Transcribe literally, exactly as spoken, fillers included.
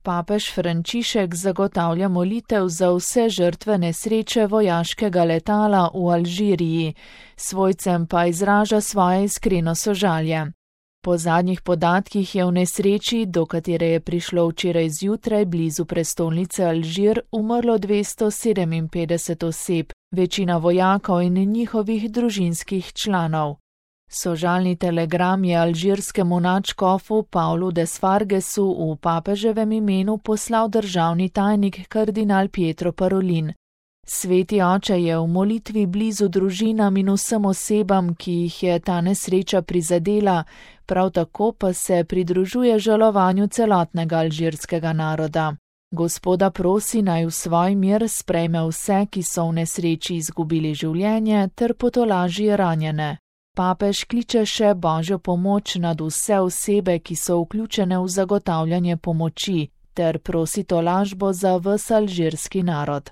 Papež Frančišek zagotavlja molitev za vse žrtve nesreče vojaškega letala v Alžiriji, svojcem pa izraža svoje iskreno sožalje. Po zadnjih podatkih je v nesreči, do katere je prišlo včeraj zjutraj blizu prestolnice Alžir, umrlo dvesto sedeminpetdeset oseb, večina vojakov in njihovih družinskih članov. Sožalni telegram je alžirskemu nadškofu Pavlu Desfargesu v papeževem imenu poslal državni tajnik kardinal Pietro Parolin. Sveti oče je v molitvi blizu družinam in vsem osebam, ki jih je ta nesreča prizadela, prav tako pa se pridružuje žalovanju celotnega alžirskega naroda. Gospoda prosi, naj v svoj mir sprejme vse, ki so v nesreči izgubili življenje, ter potolaži ranjene. Papež kliče še Božjo pomoč nad vse osebe, ki so vključene v zagotavljanje pomoči, ter prosi tolažbo za ves alžirski narod.